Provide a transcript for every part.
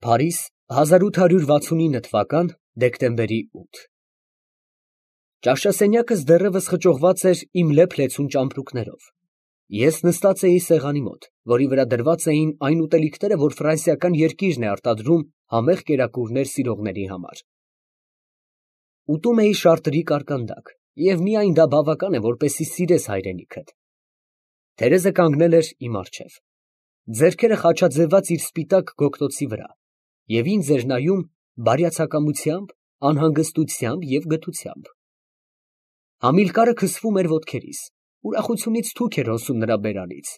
Փարիզ 1869 թվական դեկտեմբերի 8 Ճաշասենյակս դեռևս խճողված էր իմ լեփ֊լեցուն ճամպրուկներով։ Ես նստած էի սեղանի մոտ, որի վրա դրված էին այն ուտելիքները, որ ֆրանսիական երկիրն է արտադրում համեղ կերակուրներ սիրողների համար։ Ուտում էի շարտրի կարկանդակ, և միայն դա բավական է, որպեսզի սիրես հայրենիքդ։ Թերեզը կանգնել էր իմ առջև, ձեռքերը խաչաձևած իր սպիտակ գոգտոցի վրա, և ինձ էր նայում բարյացակամությամբ, անհանգստությամբ և գթությամբ։ Համիլկարը քսվում էր ոտքերիս, ուրախությունից թուք էր հոսում նրա բերանից։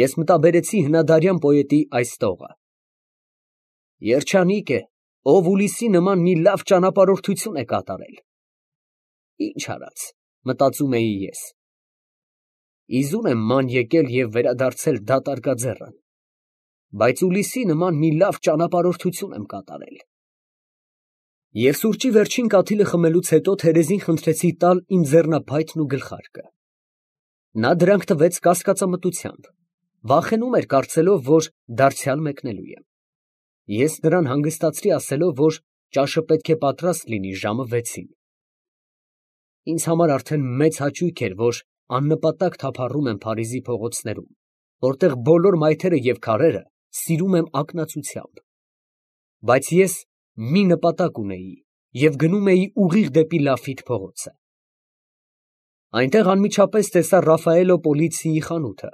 Ես մտաբերեցի հնադարյան պոետի այս տողը. «Երջանիկ է, ով Ուլիսի նման մի լավ ճանապարհորդություն է կատարել»։ Ինչ արած, մտածում էի ես, իզուր եմ ման եկել և վերադարձել դատարկաձեռն, բայց Ուլիսի նման մի լավ ճանապարհորդություն եմ կատարել։ Եվ սուրճի վերջին կաթիլը խմելուց հետո Թերեզին խնդրեցի տալ իմ ձեռնափայտն ու գլխարկը։ Նա դրանք տվեց կասկածամտությամբ, վախենում էր, կարծելով, որ դարձյալ մեկնելու եմ։ Ես նրան հանգստացրի ասելով, որ ճաշը պետք է պատրաստ լինի ժամը 6-ին։ Ինձ համար արդեն մեծ հաճույք էր, որ աննպատակ թափառում եմ Փարիզի փողոցներում, որտեղ բոլոր մայթերը և քարերը սիրում եմ ակնածությամբ։ Բայց ես մի նպատակ ունեի և գնում էի ուղիղ դեպի Լաֆիտ փողոցը։ Այնտեղ անմիջապես տեսա Ռաֆայելո Պոլիցիի խանութը,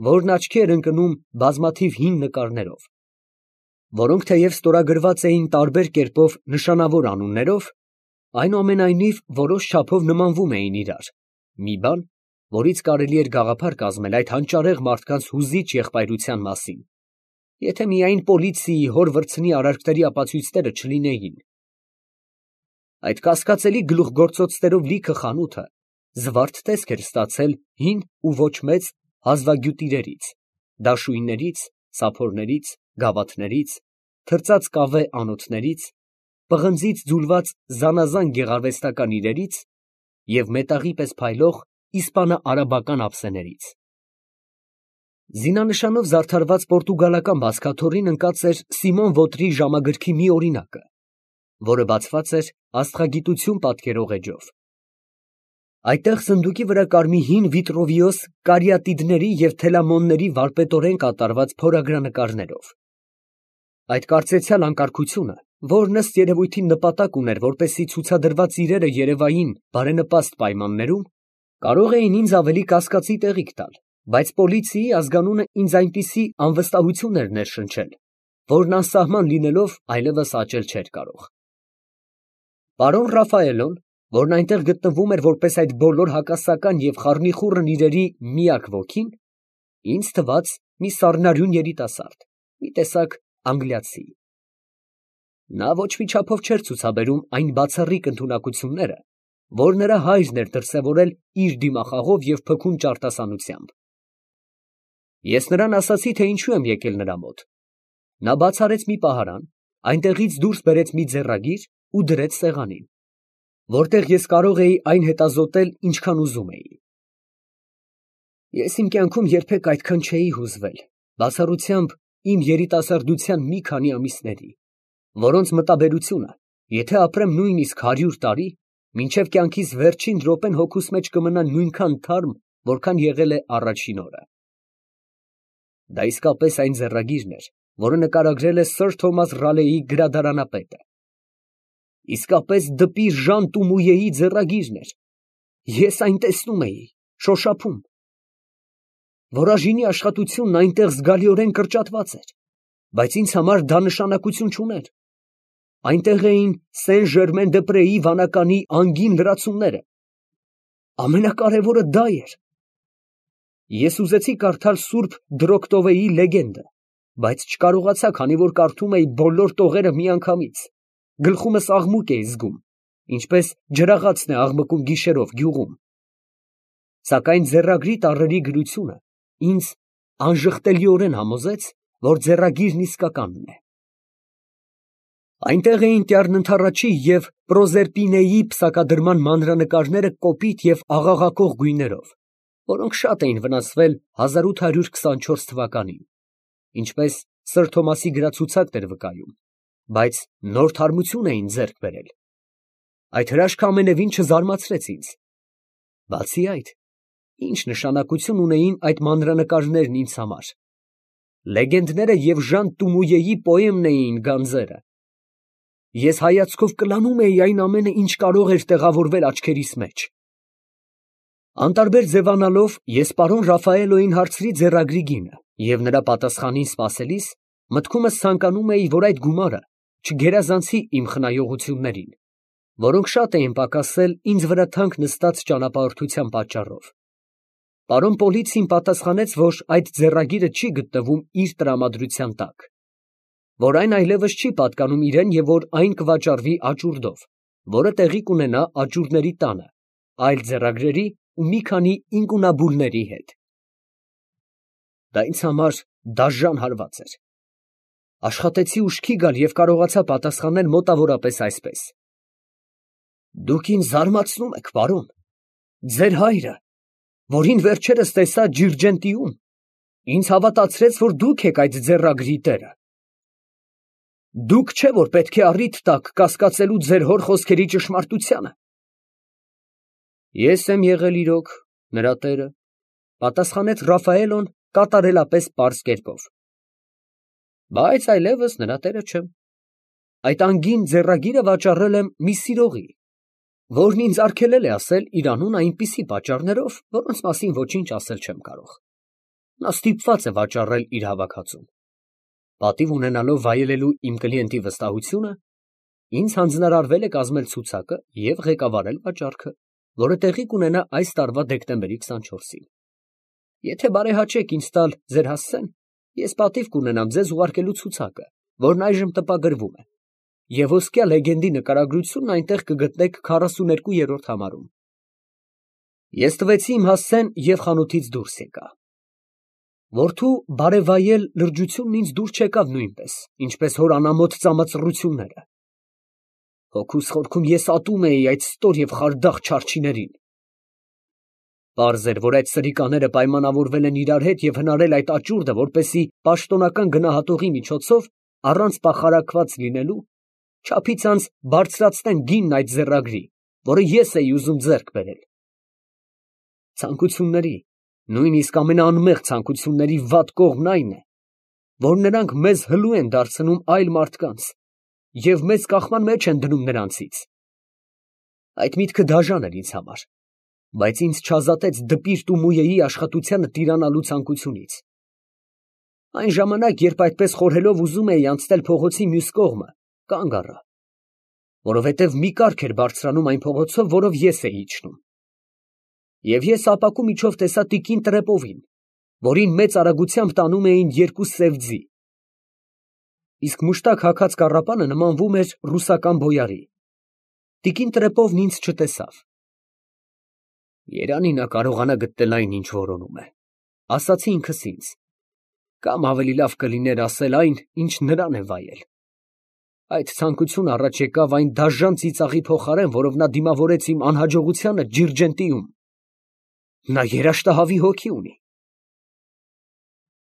որն աչքի էր ընկնում բազմաթիվ հին նկարներով, որոնք թեև ստորագրված էին տարբեր կերպով նշանավոր անուններով, այնուամենայնիվ որոշ չափով նմանվում էին իրար, մի բան, որից կարելի էր գաղափար կազմել այդ հանճարեղ մարդկանց հուզիչ եղբայրության մասին, եթե միայն Պոլիցիի հոր վրձնի արարքների ապացույցները չլինեին։ Այդ կասկածելի գլուխգործոցներով լիքը խանութը զվարթ տեսք էր ստացել հին ու ոչ մեծ հազվագյուտիրերից, դաշույններից, սափորներից, գավաթներից, թրծած կավե անոթներից, պղնձից ձուլված զանազան գեղարվեստական իրերից և մետաղի պես փայլող իսպանա֊արաբական ափսեներից։ Զինանշանով զարդարված պորտուգալական բազկաթոռին ընկած էր Սիմոն Ոտրի ժամագրքի մի օրինակը, որը բացված էր աստղագիտություն պատկերող էջով։ Այդտեղ սնդուկի վրա կար մի հին Վիտրովիոս կարիատիդների և թելամոնների վարպետորեն կատարված փորագրանկարներով։ Այդ կարծեցյալ անկարգությունը, որն ըստ երևույթին նպատակ ուներ, որպեսզի ցուցադրված իրերը երևային բարենպաստ պայմաններում, կարող էին ինձ ավելի կասկածի տեղիք տալ, բայց Պոլիցիի ազգանունը ինձ այնպիսի անվստահություն էր ներշնչել, որն անսահման լինելով այլևս աճել չէր կարող։ Պարոն Ռաֆայելոն, որն այնտեղ գտնվում էր որպես այդ բոլոր հակասական և խառնիխուռն իրերի միակ ոգին, ինձ թվաց մի սառնարյուն երիտասարդ, մի տեսակ անգլիացի։ Նա ոչ մի չափով չէր ցուցաբերում այն բացառիկ ընդունակությունները, որ նրա հայրն էր դրսևորել իր դիմախաղով և փքուն ճարտասանությամբ։ Ես նրան ասացի, թե ինչու եմ եկել նրա մոտ։ Նա բաց արեց մի պահարան, այնտեղից դուրս բերեց մի ձեռագիր ու դրեց սեղանին, որտեղ ես կարող էի այն հետազոտել, ինչքան ուզում էի։ Ես իմ կյանքում երբեք այդքան չէի հուզվել, բացառությամբ իմ երիտասարդության մի քանի ամիսների, որոնց մտաբերությունը, եթե ապրեմ նույնիսկ 100 տարի, մինչև կյանքիս վերջին րոպեն հոգուս մեջ կմնա նույնքան թարմ, որքան եղել է առաջին օրը։ Դա իսկապես այն ձեռագիրն էր, որը նկարագրել է Սըր Թոմաս Ռալեի գրադարանապետը։ Իսկապես դպի Ժան Տումույեի ձեռագիրն էր։ Ես այն տեսնում էի, շոշափում։ Որաժինի աշխատությունն այնտեղ զգալիորեն կրճատված էր, բայց ինձ համար դա նշանակություն չուներ։ Այնտեղ էին Սեն֊Ժերմեն֊դե֊Պրեի վանականի անգին լրացումները։ Ամենակարևորը դա էր։ Ես ուզեցի կարդալ Սուրբ Դրոկտովեի լեգենդը, բայց չկարողացա, քանի որ կարդում էի բոլոր տողերը միանգամից, գլխումս աղմուկ էի զգում, ինչպես ջրաղացն է աղմկում գիշերով գյուղում։ Սակայն ձեռագրի տառերի գրությունը ինձ անժխտելիորեն համոզեց, որ ձեռագիրն իսկականն է։ Այնտեղ էին Տյառնընդառաջի և Պրոզերպինեի պսակադրման մանրանկարները կոպիտ և աղաղակող գույներով, որոնք շատ էին վնասվել 1824 թվականին, ինչպես Սր Թոմասի գրած ցուցակն էր վկայում, բայց նոր թարմություն էին ձեռք բերել։ Այդ հրաշքը ամենևին չզարմացրեց ինձ։ Բացի այդ, ինչ նշանակություն ունեին այդ մանրանկարներն ինձ համար։ Լեգենդները և Ժան Տումույեի պոեմն էին գանձերը։ Ես հայացքով կլանում էի այն ամենը, ինչ կարող էր տեղավորվել աչքերիս մեջ։ Անտարբեր ձևանալով, ես պարոն Ռաֆայելոյին հարցրի ձեռագրի գինը և նրա պատասխանին սպասելիս, մտքումս ցանկանում էի, որ այդ գումարը չգերազանցի իմ խնայողություններին, որոնք շատ էին պակասել ինձ վրա թանկ նստած ճանապարհորդության պատճառով։ Պարոն Պոլիցին պատասխանեց, որ այդ ձեռագիրը չի գտնվում իր տրամադրության տակ, որ այն այլևս չի պատկանում իրեն և որ այն կվաճառվի աճուրդով, որը տեղի կունենա աճուրդների տանը, այլ ձեռագրերի ու մի քանի ինկունաբուլների հետ։ Դա ինձ համար դաժան հարված էր։ Աշխատեցի ուշքի գալ և կարողացա պատասխանել մոտավորապես այսպես. «Դուք ինձ զարմացնում եք, պարոն. ձեր հայրը, որին վերջերս տեսա Ջիրջենտիում, ինձ հավատացրեց, որ դուք եք այդ ձեռագրի տերը։ Դուք չէ, որ պետք է առիթ տաք կասկածելու ձեր հոր խոսքերի ճշմարտությանը»։ Ես եմ եղել իրոք նրա տերը, պատասխանեց Ռաֆայելոն կատարելապես պարզ կերպով, բայց այլևս նրա տերը չեմ։ Այդ անգին ձեռագիրը վաճառել եմ մի սիրողի, որն ինձ արգելել է ասել իր անունը այնպիսի պատճառներով, որոնց մասին ոչինչ ասել չեմ կարող։ Նա ստիպված է վաճառել իր հավաքածուն։ Պատիվ ունենալով վայելելու իմ կլիենտի վստահությունը, ինձ հանձնարարվել է կազմել ցուցակը և ղեկավարել վաճառքը, որը տեղի կունենա այս տարվա դեկտեմբերի 24-ին։ Եթե բարեհաճեք ինձ տալ ձեր հասցեն, ես պատիվ կունենամ ձեզ ուղարկելու ցուցակը, որն այժմ տպագրվում է, և ոսկյա լեգենդի նկարագրությունն այնտեղ կգտնեք 42-րդ համարում։ Ես տվեցի իմ հասցեն և խանութից դուրս եկա։ Որդու բարևայել լրջությունն ինձ դուր չեկավ նույնպես, ինչպես հոր անամոթ ծամածռությունները։ Հոգուս խորքում ես ատում էի այդ ստոր և խարդախ չարչիներին։ Պարզ էր, որ այդ սրիկաները պայմանավորվել են իրար հետ և հնարել այդ աճուրդը, որպեսզի պաշտոնական գնահատողի միջոցով, առանց պախարակված լինելու, չափիցանց բարձրացնեն գինն այդ ձեռագրի, որը ես էի ուզում ձեռք բերել։ Ցանկությունների, նույնիսկ ամենաանմեղ ցանկությունների վատ կողմն այն է, որ նրանք մեզ հլու են դարձնում այլ մարդկանց և մեզ կախման մեջ են դնում նրանցից։ Այդ միտքը դաժան էր ինձ համար, բայց ինձ չազատեց դպիրտ ու մույեի աշխատությանը տիրանալու ցանկությունից։ Այն ժամանակ, երբ այդպես խորհելով ուզում էի անցնել փողոցի մյուս կողմը, կանգ առա, որովհետև մի կառք էր բարձրանում այն փողոցով, որով ես էի իջնում։ Եվ ես ապակու միջով տեսա տիկին Տրեպովին, որին մեծ արագությամբ տանում էին երկու սև ձի, իսկ մուշտակ հագած կառապանը նմանվում էր ռուսական բոյարի։ Տիկին Տրեպովն ինձ չտեսավ։ Երանի նա կարողանա գտնել այն, ինչ որոնում է, ասացի ինքս ինձ, կամ ավելի լավ կլիներ ասել այն, ինչ նրան է վայել։ Այդ ցանկությունը առաջ եկավ այն դաժան ծիծաղի փոխարեն, որով նա դիմավորեց իմ անհաջողությանը Ջիրջենտիում։ Նա երաշտահավի հոգի ունի։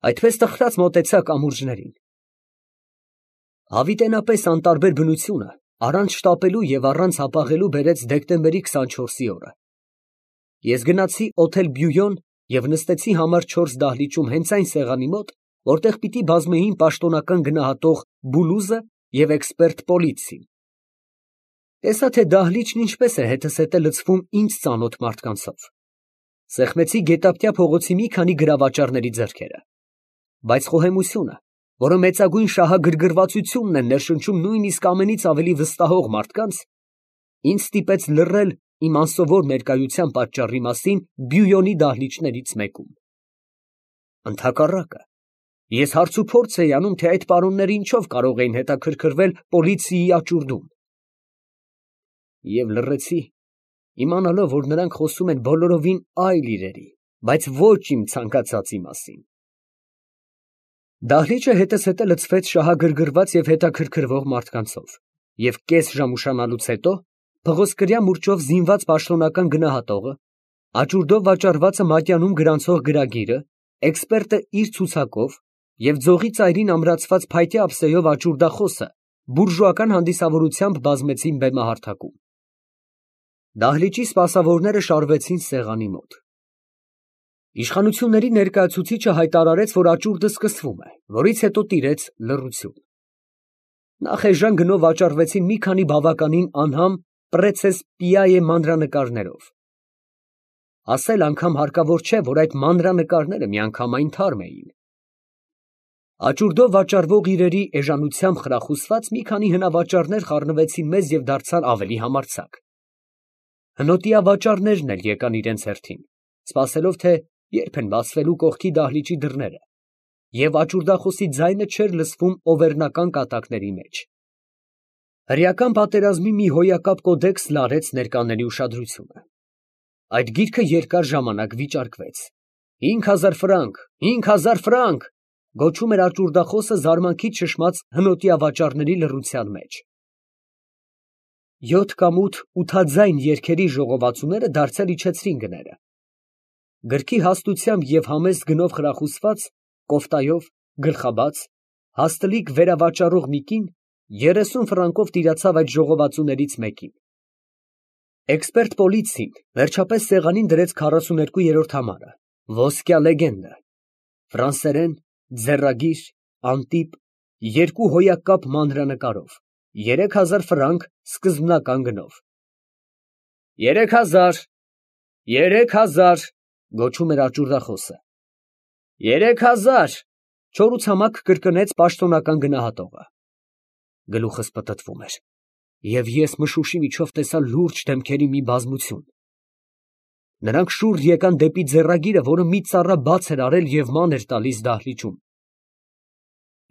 Այդպես տխրած մոտեցա կամուրջներին։ Հավիտենապես անտարբեր բնությունը առանց շտապելու և առանց հապաղելու բերեց դեկտեմբերի 24-ի օրը։ Ես գնացի օթել Բյույոն և նստեցի համար 4 դահլիճում հենց այն սեղանի մոտ, որտեղ պիտի բազմեին պաշտոնական գնահատող Բուլուզը և էքսպերտ Պոլիցին։ Տեսա, թե դահլիճն ինչպես է հետզհետե լցվում ինձ ծանոթ մարդկանցով։ Սեղմեցի գետափտյա փողոցի մի քանի գրավաճառների ձեռքերը, բայց խոհեմությունը, որը մեծագույն շահագրգռվածությունն է ներշնչում նույնիսկ ամենից ավելի վստահող մարդկանց, ինձ ստիպեց լռել իմ անսովոր ներկայության պատճառի մասին Բյույոնի դահլիճներից մեկում։ Ընդհակառակը, ես հարցուփորձ էի անում, թե այդ պարոնները ինչով կարող էին հետաքրքրվել Պոլիցիայի աճուրդում։ Եվ լռեցի, իմանալով, որ նրանք խոսում են բոլորովին այլ իրերի, բայց ոչ իմ ցանկացածի մասին։ Դահլիճը հետզհետե լցվեց շահագրգռված և հետաքրքրվող մարդկանցով, և կես ժամ ուշանալուց հետո փղոսկրյա մուրճով զինված պաշտոնական գնահատողը, աճուրդով վաճառվածը մատյանում գրանցող գրագիրը, էքսպերտը իր ցուցակով և ձողի ծայրին ամրացված փայտե ափսեով աճուրդախոսը բուրժուական հանդիսավորությամբ բազմեցին բեմահարթակում։ Դահլիճի սպասավորները շարվեցին սեղանի մոտ։ Իշխանությունների ներկայացուցիչը հայտարարեց, որ աճուրդը սկսվում է, որից հետո տիրեց լռություն։ Նախ էժան գնով վաճառվեցին մի քանի բավականին անհամ պրեցես֊պիայե մանրանկարներով։ Ասել անգամ հարկավոր չէ, որ այդ մանրանկարները միանգամայն թարմ էին։ Աճուրդով վաճառվող իրերի էժանությամբ խրախուսված մի քանի հնավաճառներ խառնվեցին մեզ և դարձան ավելի համարձակ։ Հնոտիա վաճառներն էլ եկան իրենց հերթին, սպասելով, թե երբ են բացվելու կողքի դահլիճի դռները, և աճուրդախոսի ձայնը չէր լսվում օվերնական կատակների մեջ։ Հրեական պատերազմի մի հոյակապ կոդեքս լարեց ներկաների ուշադրությունը։ Այդ գիրքը երկար ժամանակ վիճարկվեց։ 5000 ֆրանկ, 5000 ֆրանկ, գոչում էր աճուրդախոսը զարմանքից շշմած հնոտիա վաճառների լռության մեջ։ 7 կամ 8 ութաձայն երգերի ժողովածուները դարձյալ իջեցրին գները։ Գրքի հաստությամբ և համեստ գնով խրախուսված, կոֆտայով, գլխաբաց, հաստլիկ վերավաճառող մի կին 30 ֆրանկով տիրացավ այդ ժողովածուներից մեկին։ Էքսպերտ պոլիցին վերջապես սեղանին դրեց 42-րդ համարը, ոսկյա լեգենդը, ֆրանսերեն, ձեռագիր, անտիպ, 2 հոյակապ մանրանկարով, 3000 ֆրանկ սկզբնական գնով։ 3000, 3000, գոչում էր աճուրդախոսը։ 3000, չորուցամակ կրկնեց պաշտոնական գնահատողը։ Գլուխս պտտվում էր, և ես մշուշի միջով տեսա լուրջ դեմքերի մի բազմություն։ Նրանք շուռ եկան դեպի ձեռագիրը, որը մի ծառա բաց էր արել և ման էր տալիս դահլիճում։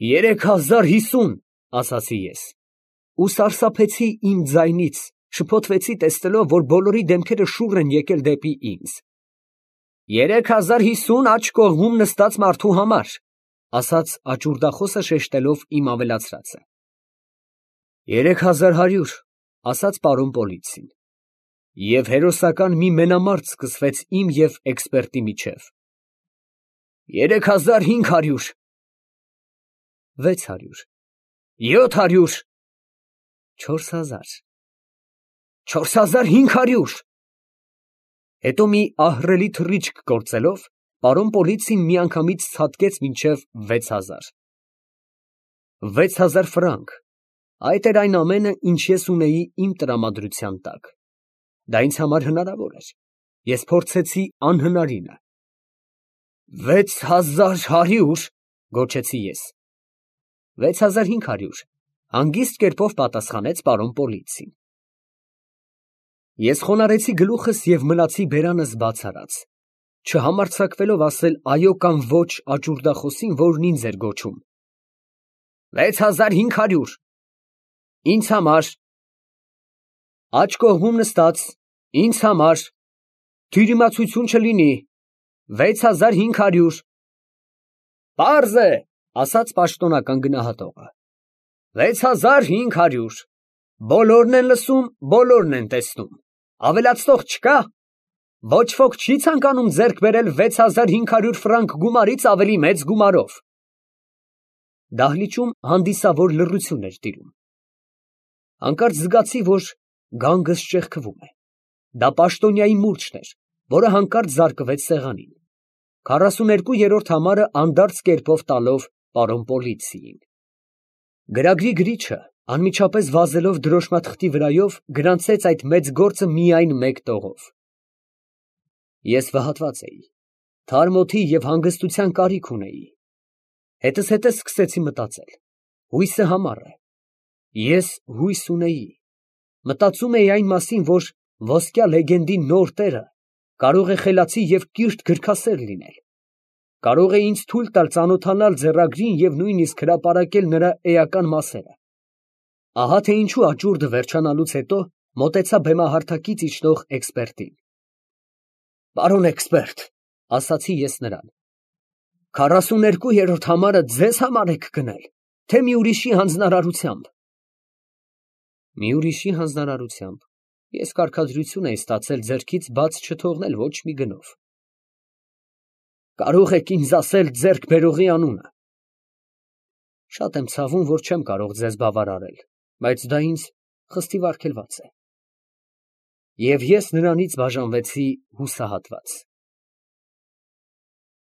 3050, ասացի ես, ու սարսափեցի իմ ձայնից, շփոթվեցի տեսնելով, որ բոլորի դեմքերը շուռ են եկել դեպի ինձ։ 3050 աջ կողմում նստած մարդու համար, ասաց աճուրդախոսը շեշտելով իմ ավելացրածը։ 3100, ասաց պարոն պոլիցին։ Եվ հերոսական մի մենամարտ սկսվեց իմ և էքսպերտի միջև։ 3500, 600, 700, 4000, 4500։ Հետո մի ահռելի թռիչք գործելով, պարոն պոլիցին միանգամից ցատկեց մինչև 6000։ 6000 ֆրանկ, այդ էր այն ամենը, ինչ ես ունեի իմ տրամադրության տակ։ Դա ինձ համար հնարավոր էր, ես փորձեցի անհնարինը։ 6100, գոչեցի ես։ 6500, հանգիստ կերպով պատասխանեց պարոն պոլիցին։ Ես խոնարհեցի գլուխս և մնացի բերանս բաց արած, չհամարձակվելով ասել այո կամ ոչ աճուրդախոսին, որն ինձ էր գոչում։ 6500, ինձ համար, աջ կողմում նստած, ինձ համար, թյուրիմացություն չլինի, 6500։ Պարզ է, ասաց պաշտոնական գնահատողը։ 6500, բոլորն են լսում, բոլորն են տեսնում, ավելացնող չկա։ Ոչ ոք չի ցանկանում ձեռք բերել 6500 ֆրանկ գումարից ավելի մեծ գումարով։ Դահլիճում հանդիսավոր լռություն էր տիրում։ Հանկարծ զգացի, որ գանգս ճեղքվում է։ Դա պաշտոնյայի մուրճն էր, որը հանկարծ զարկվեց սեղանին, 42-րդ համարը անդարձ կերպով տալով պարոն պոլիցիին։ Գրագրի գրիչը, անմիջապես վազելով դրոշմաթղթի վրայով, գրանցեց այդ մեծ գործը միայն մեկ տողով։ Ես վհատված էի, թարմ օդի և հանգստության կարիք ունեի։ Հետզհետե սկսեցի մտածել. հույսը համառ է։ Ես հույս ունեի։ Մտածում էի այն մասին, որ ոսկյա լեգենդի նոր տերը կարող է խելացի և կիրթ գրքասեր լինել, կարող է ինձ թույլ տալ ծանոթանալ ձեռագրին և նույնիսկ հրապարակել նրա էական մասերը։ Ահա թե ինչու աճուրդը վերջանալուց հետո մոտեցա բեմահարթակից իջնող էքսպերտին։ Պարոն էքսպերտ, ասացի ես նրան, 42-րդ համարը ձեզ համար եք գնել, թե մի ուրիշի հանձնարարությամբ։ Մի ուրիշի հանձնարարությամբ, ես կարգադրություն էի ստացել ձեռքից բաց չթողնել ոչ մի գնով։ Կարող եք ինձ ասել ձեռք բերողի անունը, Շատ եմ ցավում, որ չեմ կարող ձեզ բավարարել, բայց դա ինձ խստիվ արգելված է։ Եվ ես նրանից բաժանվեցի հուսահատված։